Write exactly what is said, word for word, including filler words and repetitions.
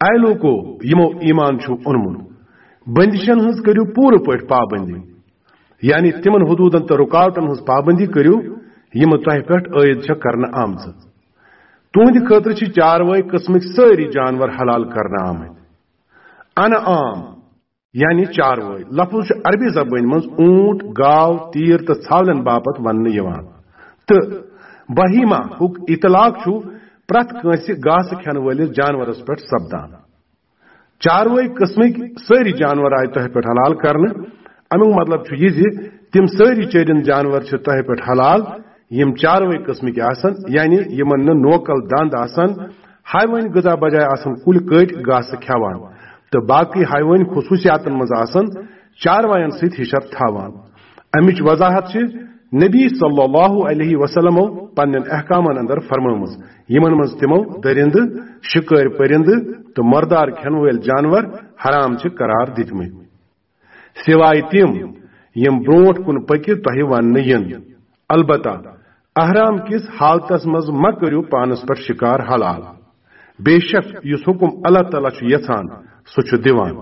A لوکو، یِمو ایمان چھُ اوٚنمُت، بندشن ہٕنٛز کٔرِو پوٗرٕ پٲٹھۍ پابندی، یعنی تِمن حدوٗدن تہٕ رُکاوٹن ہٕنٛز پابندی کٔرِو، یِم تۄہہِ پٮ۪ٹھ عٲید چھےٚ کرنہٕ آمژٕ۔ تُہنٛدِ خٲطرٕ چھِ چاروٲے قٕسمٕکۍ سٲری جانور حلال کرنہٕ آمٕتۍ۔ انعام، یعنی چاروٲے، لفظ چھُ عربی زبٲنۍ منٛز اونٹ، گاو، تیٖر تہٕ ژھاولٮ۪ن باپتھ وننہٕ یِوان، تہٕ بہیمہ ہُک اطلاق چھُ پرٛٮ۪تھ کٲنٛسہِ گاسہٕ کھٮ۪ن وٲلِس جانورس پٮ۪ٹھ سپدان۔ چاروٲے قٕسمٕکۍ سٲری جانور آیہِ تۄہہِ پٮ۪ٹھ حلال کرنہٕ۔ امیُک مطلب چھُ یہِ زِ تِم سٲری چٔرِنٛد جانور چھِ تۄہہِ پٮ۪ٹھ حلال، یِم چاروٲے قٕسمٕکۍ آسن، یعنی یِمن نہٕ نوکل دند آسن، حیوٲنی غذا بجایہِ آسن کُلۍ کٔٹۍ گاسہٕ کھٮ۪وان، تہٕ باقٕے حیوٲنی خصوٗصیاتن منٛز آسن چاروایَن سۭتۍ ہِشر تھاوان۔ امِچ وضاحت چھِ نبی صلی اللہ علیہ وسلمو پننٮ۪ن احکامن اندر فرمٲومٕژ، یِمن منٛز تِمو دٔرِندٕ، شِکٲرۍ پٔرِندٕ تہٕ مردار کھٮ۪ن وٲلۍ جانور حرام چھِ قرار دِتمٕتۍ، سوائے تِم یِم برونٛٹھ کُن پٔکِتھ تۄہہِ وننہٕ یِن۔ البتہ احرام کِس حالتس منٛز مہ کٔرِو پانس پٮ۪ٹھ شِکار حلال۔ بے شک یُس حُکم اللہ تعالیٰ چھُ یژھان، سُہ چھُ دِوان۔